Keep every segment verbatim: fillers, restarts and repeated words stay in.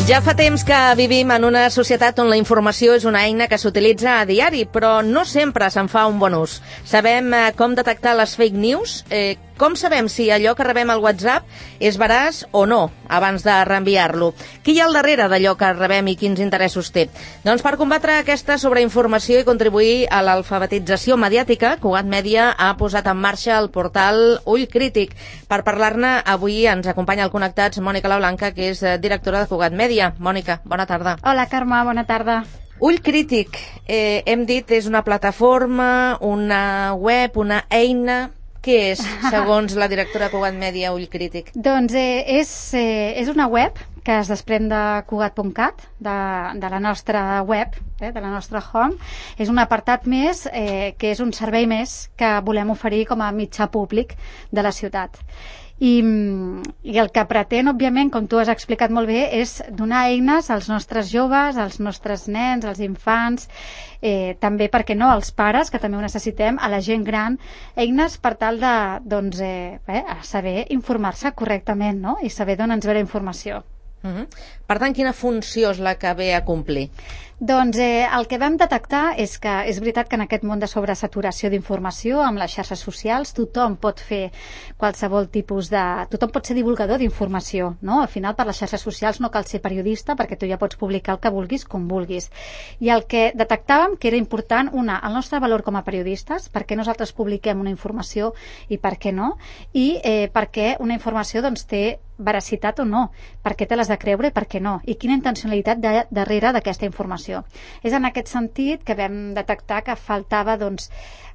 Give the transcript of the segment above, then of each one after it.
Ja fa temps que vivim en una societat on la informació és una eina que s'utilitza a diari, però no sempre se'n fa un bon ús. Sabem eh, com detectar les fake news? Eh, com sabem si allò que rebem al WhatsApp és veraç o no, abans de reenviar-lo? Qui hi ha al darrere d'allò que rebem i quins interessos té? Doncs per combatre aquesta sobreinformació i contribuir a l'alfabetització mediàtica, Cugat Mèdia ha posat en marxa el portal Ull Crític. Per parlar-ne, avui ens acompanya al Connectats Mònica Lablanca, que és directora de Cugat Mèdia. Mònica, bona tarda. Hola, Carme, bona tarda. Ull Crític, eh, hem dit, és una plataforma, una web, una eina. Què és, segons la directora de Cugat Mèdia, Ull Crític? Doncs eh, és, eh, és una web que es desprèn de cugat punt cat, de, de la nostra web, eh, de la nostra home. És un apartat més, eh, que és un servei més que volem oferir com a mitjà públic de la ciutat. I, i el que pretén, òbviament, com tu has explicat molt bé, és donar eines als nostres joves, als nostres nens, als infants, eh, també, per què no, als pares, que també ho necessitem, a la gent gran, eines per tal de, doncs, eh, eh, saber informar-se correctament, no?, i saber d'on ens ve la informació. Uh-huh. Per tant, quina funció és la que ve a complir? Doncs eh, el que vam detectar és que és veritat que en aquest món de sobresaturació d'informació, amb les xarxes socials, tothom pot fer qualsevol tipus de... tothom pot ser divulgador d'informació, no? Al final, per les xarxes socials no cal ser periodista, perquè tu ja pots publicar el que vulguis, com vulguis. I el que detectàvem que era important, una, el nostre valor com a periodistes, perquè nosaltres publiquem una informació i per què no, i eh, perquè una informació doncs, té veracitat o no, per què te l'has de creure i per què no, i quina intencionalitat de, darrere d'aquesta informació. És en aquest sentit que vam detectar que faltava doncs,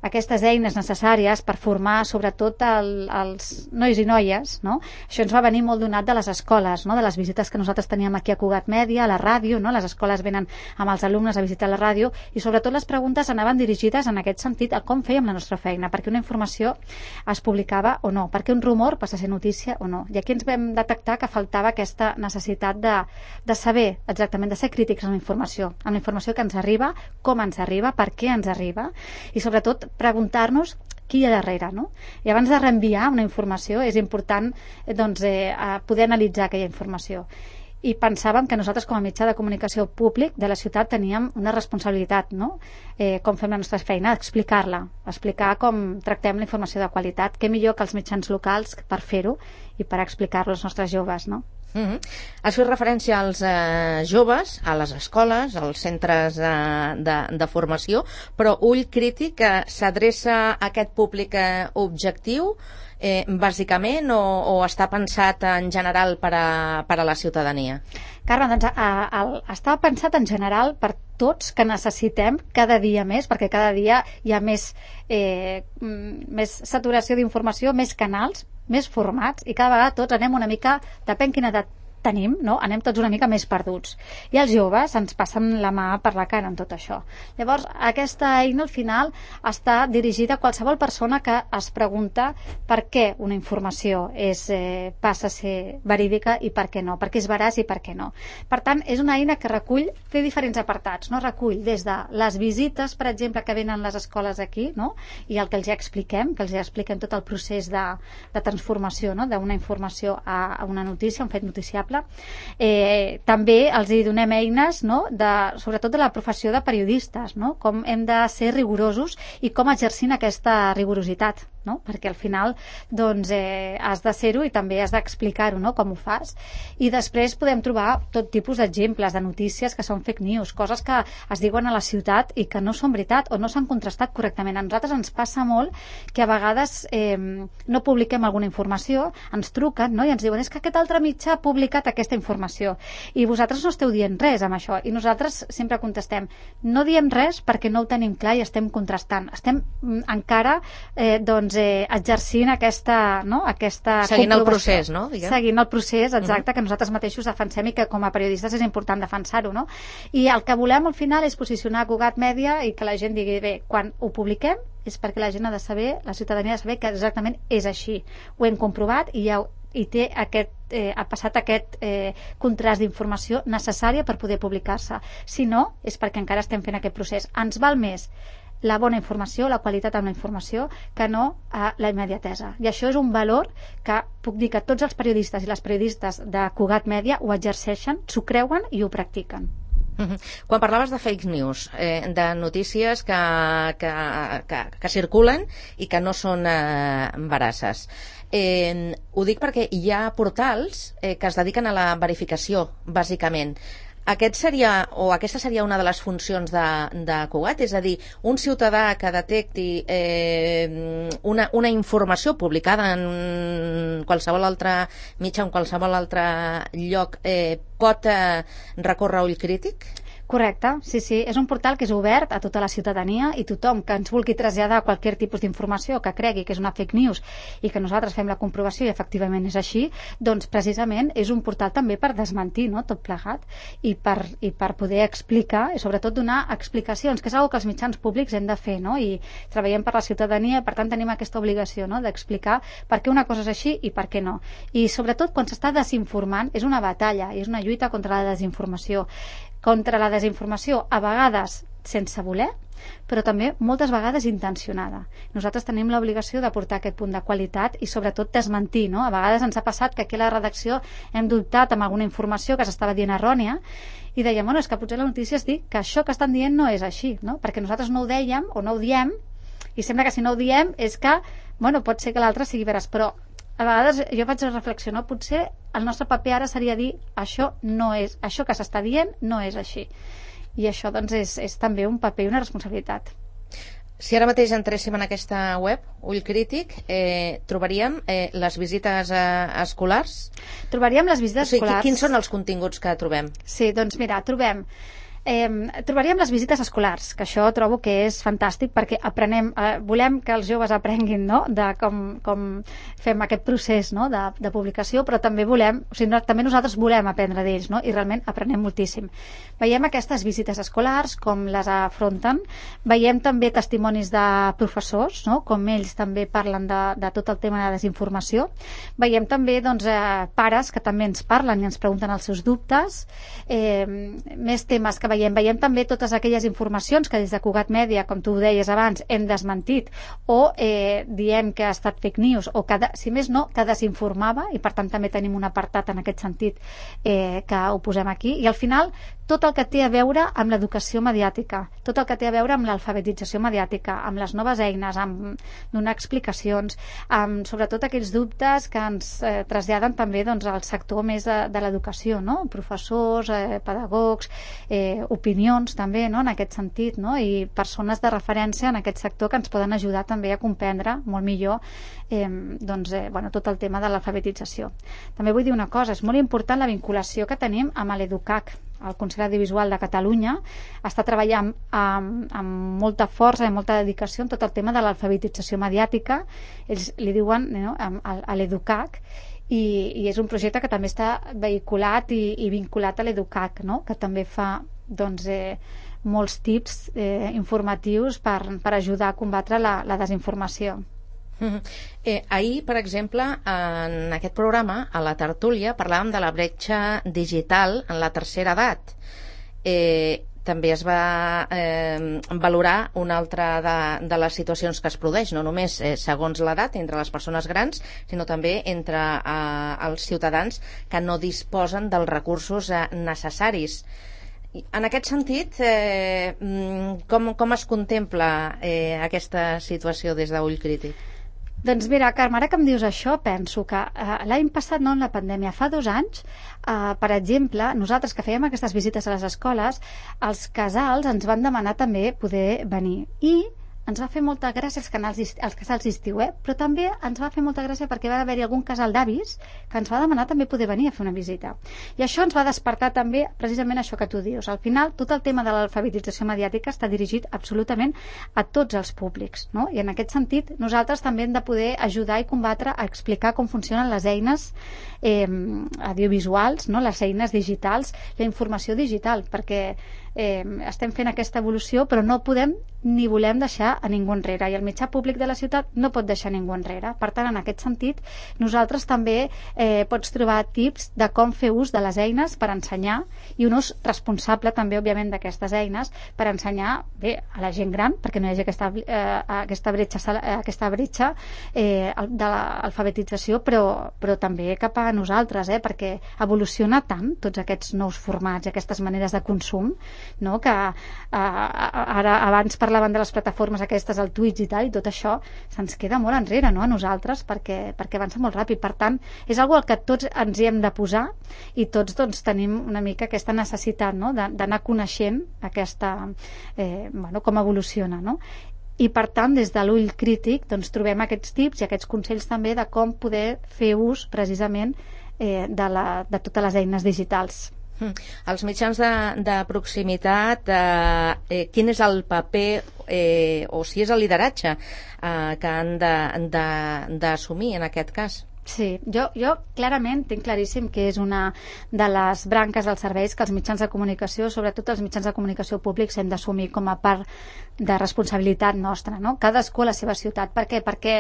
aquestes eines necessàries per formar sobretot el, els nois i noies, no? Això ens va venir molt donat de les escoles, no? De les visites que nosaltres teníem aquí a Cugat Mèdia, a la ràdio, no? Les escoles venen amb els alumnes a visitar la ràdio i sobretot les preguntes anaven dirigides en aquest sentit a com fèiem la nostra feina, perquè una informació es publicava o no, perquè un rumor passa a ser notícia o no. I aquí ens vam detectar que faltava aquesta necessitat de, de saber exactament, de ser crítics amb la informació, amb la informació que ens arriba, com ens arriba, per què ens arriba i sobretot preguntar-nos qui hi ha darrere, no? I abans de reenviar una informació és important doncs, eh, poder analitzar aquella informació. I pensàvem que nosaltres com a mitjà de comunicació públic de la ciutat teníem una responsabilitat, no? Eh, com fem la nostra feina, explicar-la, explicar com tractem la informació de qualitat, què millor que els mitjans locals per fer-ho i per explicar-lo als nostres joves, no? Uh-huh. Has fet referència als eh, joves, a les escoles, als centres eh, de, de formació, però Ull Crític eh, s'adreça a aquest públic eh, objectiu eh, bàsicament o, o està pensat en general per a, per a la ciutadania? Carme, doncs a, a, a, està pensat en general per tots que necessitem cada dia més, perquè cada dia hi ha més, eh, més saturació d'informació, més canals, més formats, i cada vegada tots anem una mica, depèn quina edat tenim, no? Anem tots una mica més perduts. I els joves ens passen la mà per la cara en tot això. Llavors, aquesta eina al final està dirigida a qualsevol persona que es pregunta per què una informació és, eh, passa a ser verídica i per què no, per què és veraç i per què no. Per tant, és una eina que recull, té diferents apartats, no? Recull des de les visites, per exemple, que venen les escoles aquí, no? I el que els ja expliquem, que els ja expliquem tot el procés de, de transformació, no? D'una informació a, a una notícia, un fet noticiable. Eh, també els hi donem eines, no? De, sobretot de la professió de periodistes, no? Com hem de ser rigorosos i com exercint aquesta rigorositat, no? Perquè al final doncs, eh, has de ser-ho i també has d'explicar-ho, no? Com ho fas. I després podem trobar tot tipus d'exemples de notícies que són fake news, coses que es diuen a la ciutat i que no són veritat o no s'han contrastat correctament. A nosaltres ens passa molt que a vegades eh, no publiquem alguna informació, ens truquen, no? I ens diuen és que aquest altre mitjà ha publicat aquesta informació i vosaltres no esteu dient res amb això, i nosaltres sempre contestem, no diem res perquè no ho tenim clar i estem contrastant, estem encara eh, doncs, eh, exercint aquesta, no? Aquesta seguint el procés, no? Diguem. Seguint el procés, exacte, uh-huh. Que nosaltres mateixos defensem i que com a periodistes és important defensar-ho, no? I el que volem al final és posicionar Cugat Mèdia i que la gent digui, bé, quan ho publiquem és perquè la gent ha de saber, la ciutadania ha de saber que exactament és així, ho hem comprovat i ja i té aquest, eh, ha passat aquest eh, contrast d'informació necessària per poder publicar-se. Si no, és perquè encara estem fent aquest procés. Ens val més la bona informació, la qualitat en la informació, que no a la immediatesa. I això és un valor que puc dir que tots els periodistes i les periodistes de Cugat Mèdia ho exerceixen, s'ho creuen i ho practiquen. Uh-huh. Quan parlaves de fake news, eh, de notícies que, que, que, que circulen i que no són eh, veraces, eh, ho dic perquè hi ha portals eh, que es dediquen a la verificació, bàsicament. Aquest seria, o aquesta seria una de les funcions de, de Cugat, és a dir, un ciutadà que detecti eh, una, una informació publicada en qualsevol altre mitjà, en qualsevol altre lloc, eh, pot eh, recórrer a ull crític? Correcte, sí, sí. És un portal que és obert a tota la ciutadania i tothom que ens vulgui traslladar qualsevol tipus d'informació que cregui que és una fake news i que nosaltres fem la comprovació i efectivament és així, doncs precisament és un portal també per desmentir, no?, tot plegat i per, i per poder explicar i sobretot donar explicacions, que és una cosa que els mitjans públics hem de fer, no?, i treballem per la ciutadania i per tant tenim aquesta obligació, no?, d'explicar per què una cosa és així i per què no. I sobretot quan s'està desinformant és una batalla i és una lluita contra la desinformació. Contra la desinformació, a vegades sense voler, però també moltes vegades intencionada. Nosaltres tenim l'obligació de portar aquest punt de qualitat i sobretot desmentir, no? A vegades ens ha passat que aquí a la redacció hem dubtat amb alguna informació que s'estava dient errònia i dèiem, bueno, és que potser la notícia es diu que això que estan dient no és així, no? Perquè nosaltres no ho dèiem o no ho diem i sembla que si no ho diem és que, bueno, pot ser que l'altre sigui veres, però a vegades jo faig reflexionar, potser el nostre paper ara seria dir això no és, això que s'està dient no és així. I això doncs és, és també un paper i una responsabilitat. Si ara mateix entréssim en aquesta web, Ull Crític, eh, trobaríem eh, les visites eh, escolars? Trobaríem les visites o sigui, escolars. Quins són els continguts que trobem? Sí, doncs mira, trobem Eh, trobaríem les visites escolars, que això trobo que és fantàstic perquè aprenem, eh, volem que els joves aprenguin, no?, de com, com fem aquest procés, no?, de, de publicació, però també volem, o sigui, no, també nosaltres volem aprendre d'ells, no?, i realment aprenem moltíssim. Veiem aquestes visites escolars, com les afronten, veiem també testimonis de professors, no?, com ells també parlen de, de tot el tema de desinformació, veiem també doncs, eh, pares que també ens parlen i ens pregunten els seus dubtes, eh, més temes que veiem, veiem també totes aquelles informacions que des de Cugat Mèdia, com tu ho deies abans, hem desmentit o eh, diem que ha estat fake news o que, si més no, que desinformava i per tant també tenim un apartat en aquest sentit eh, que ho posem aquí i al final tot el que té a veure amb l'educació mediàtica, tot el que té a veure amb l'alfabetització mediàtica, amb les noves eines, amb donar explicacions, amb sobretot aquells dubtes que ens eh, traslladen també doncs, al sector més de, de l'educació, no?, professors, eh, pedagogs, eh, opinions també, no?, en aquest sentit, no?, i persones de referència en aquest sector que ens poden ajudar també a comprendre molt millor eh, doncs, eh, bueno, tot el tema de l'alfabetització. També vull dir una cosa, és molt important la vinculació que tenim amb l'EDUCAC. El Consell Audiovisual de Catalunya està treballant amb, amb molta força i molta dedicació en tot el tema de l'alfabetització mediàtica. Ells li diuen, no?, a l'EDUCAC, i, i és un projecte que també està vehiculat i, i vinculat a l'EDUCAC, no?, que també fa doncs, eh, molts tips eh, informatius per, per ajudar a combatre la, la desinformació. Eh, ahir, per exemple, en aquest programa, a la tertúlia, parlàvem de la bretxa digital en la tercera edat. Eh, també es va eh, valorar una altra de, de les situacions que es produeix, no només eh, segons l'edat entre les persones grans, sinó també entre eh, els ciutadans que no disposen dels recursos eh, necessaris. En aquest sentit, eh, com, com es contempla eh, aquesta situació des d'Ull Crític? Doncs mira, Carme, ara que em dius això, penso que eh, l'any passat, no en la pandèmia, fa dos anys, eh, per exemple, nosaltres que fèiem aquestes visites a les escoles, els casals ens van demanar també poder venir. I ens va fer molta gràcia els, canals, els casals d'estiu, eh? Però també ens va fer molta gràcia perquè va haver-hi algun casal d'avis que ens va demanar també poder venir a fer una visita. I això ens va despertar també precisament això que tu dius. Al final, tot el tema de l'alfabetització mediàtica està dirigit absolutament a tots els públics, no? I en aquest sentit, nosaltres també hem de poder ajudar i combatre a explicar com funcionen les eines eh, audiovisuals, no? Les eines digitals, la informació digital, perquè eh, estem fent aquesta evolució, però no podem ni volem deixar a ningú enrere, i el mitjà públic de la ciutat no pot deixar ningú enrere. Per tant, en aquest sentit, nosaltres també eh, pots trobar tips de com fer ús de les eines per ensenyar, i un ús responsable també, òbviament, d'aquestes eines per ensenyar bé a la gent gran, perquè no hi hagi aquesta, eh, aquesta bretxa, aquesta bretxa eh, de l'alfabetització, però, però també cap a nosaltres, eh, perquè evoluciona tant tots aquests nous formats i aquestes maneres de consum, no? Que eh, ara abans parlaven de les plataformes aquestes, el Twitch i tal, i tot això se'ns queda molt enrere, no? A nosaltres, perquè, perquè avança molt ràpid. Per tant, és algo al que tots ens hi hem de posar, i tots doncs, tenim una mica aquesta necessitat, no? D'anar coneixent aquesta, eh, bueno, com evoluciona, no? I per tant, des de l'ull crític doncs, trobem aquests tips i aquests consells també de com poder fer ús precisament eh, de, la, de totes les eines digitals. Mm. Els mitjans de, de proximitat, eh, eh, quin és el paper eh, o si és el lideratge eh, que han d'assumir en aquest cas? Sí, jo, jo clarament tinc claríssim que és una de les branques dels serveis que els mitjans de comunicació, sobretot els mitjans de comunicació públics, hem d'assumir com a part de responsabilitat nostra, no? Cadascú a la seva ciutat. Per què? Perquè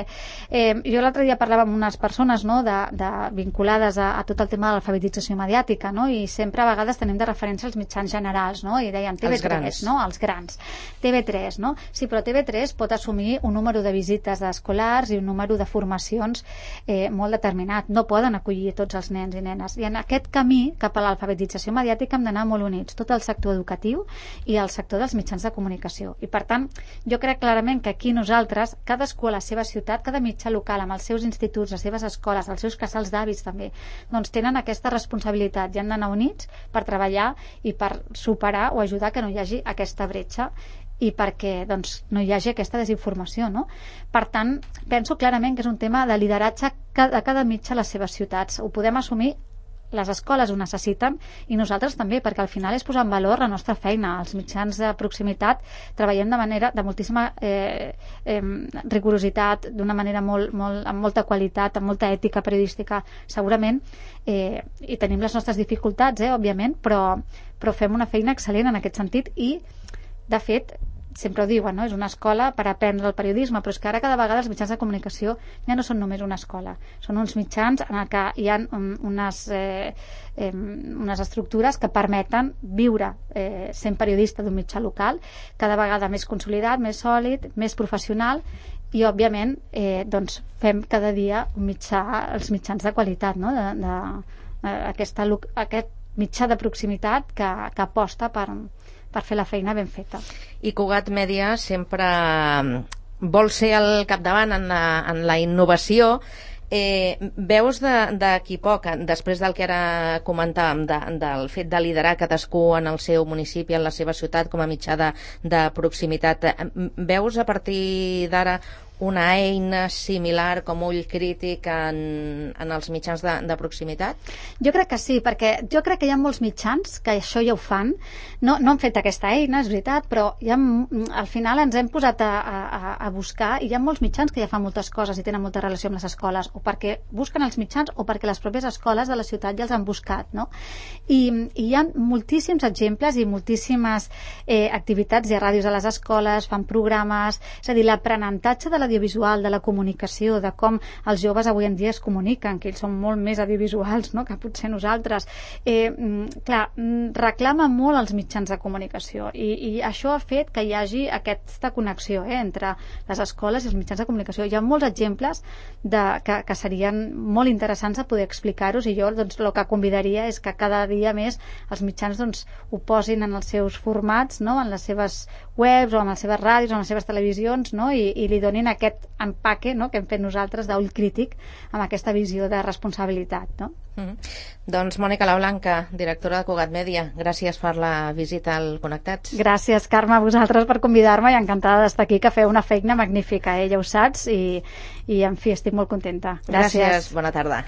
eh, jo l'altre dia parlava amb unes persones, no? de, de, vinculades a, a tot el tema de l'alfabetització mediàtica, no? I sempre a vegades tenim de referència els mitjans generals, no? I deien T V tres, no? Els grans. T V tres, no? Sí, però T V tres pot assumir un número de visites d'escolars i un número de formacions eh, molt determinat. No poden acollir tots els nens i nenes. I en aquest camí cap a l'alfabetització mediàtica hem d'anar molt units, tot el sector educatiu i el sector dels mitjans de comunicació. I per tant, jo crec clarament que aquí nosaltres, cadascú a la seva ciutat, cada mitjà local, amb els seus instituts, les seves escoles, els seus casals d'avis també, doncs tenen aquesta responsabilitat i han d'anar units per treballar i per superar o ajudar que no hi hagi aquesta bretxa i perquè doncs, no hi hagi aquesta desinformació, no? Per tant, penso clarament que és un tema de lideratge de cada mitjà a les seves ciutats. Ho podem assumir, les escoles ho necessiten i nosaltres també, perquè al final és posar en valor la nostra feina. Els mitjans de proximitat treballem de manera de moltíssima eh, eh, rigorositat, d'una manera molt, molt, amb molta qualitat, amb molta ètica periodística, segurament, eh, i tenim les nostres dificultats, eh, òbviament, però, però fem una feina excel·lent en aquest sentit i, de fet, sempre ho diuen, no? És una escola per aprendre el periodisme, però és que ara cada vegada els mitjans de comunicació ja no són només una escola, són uns mitjans en què hi ha unes, eh, eh, unes estructures que permeten viure eh, sent periodista d'un mitjà local, cada vegada més consolidat, més sòlid, més professional, i òbviament eh, doncs fem cada dia un mitjà, els mitjans de qualitat, no? de, de, de, aquesta, aquest mitjà de proximitat que, que aposta per per fer la feina ben feta. I Cugat Mèdia sempre vol ser al capdavant en la, en la innovació. Eh, veus d'aquí poc, després del que ara comentàvem, de, del fet de liderar cadascú en el seu municipi, en la seva ciutat, com a mitjà de, de proximitat, veus a partir d'ara una eina similar com ull crític en, en els mitjans de, de proximitat? Jo crec que sí, perquè jo crec que hi ha molts mitjans que això ja ho fan. No, no han fet aquesta eina, és veritat, però ja, al final ens hem posat a, a, a buscar, i hi ha molts mitjans que ja fan moltes coses i tenen molta relació amb les escoles, o perquè busquen els mitjans o perquè les pròpies escoles de la ciutat ja els han buscat, no? I, i hi ha moltíssims exemples i moltíssimes eh, activitats i ràdios a les escoles, fan programes, és a dir, l'aprenentatge de l'audiovisual, de la comunicació, de com els joves avui en dia es comuniquen, que ells són molt més audiovisuals, no?, que potser nosaltres. Eh, clar, reclama molt els mitjans de comunicació i, i això ha fet que hi hagi aquesta connexió eh, entre les escoles i els mitjans de comunicació. Hi ha molts exemples de, que, que serien molt interessants de poder explicar-los, i jo doncs, el que convidaria és que cada dia més els mitjans doncs, ho posin en els seus formats, no?, en les seves webs o en les seves ràdios o en les seves televisions, no?, i, i li donin aquest empaque, no?, que hem fet nosaltres d'ull crític amb aquesta visió de responsabilitat, no? Mm-hmm. Doncs Mònica Lablanca, directora de Cugat Mèdia, gràcies per la visita al Connectats. Gràcies, Carme, a vosaltres per convidar-me, i encantada d'estar aquí, que feu una feina magnífica, eh? Ja ho saps, i, i en fi, estic molt contenta. Gràcies. Gràcies, bona tarda.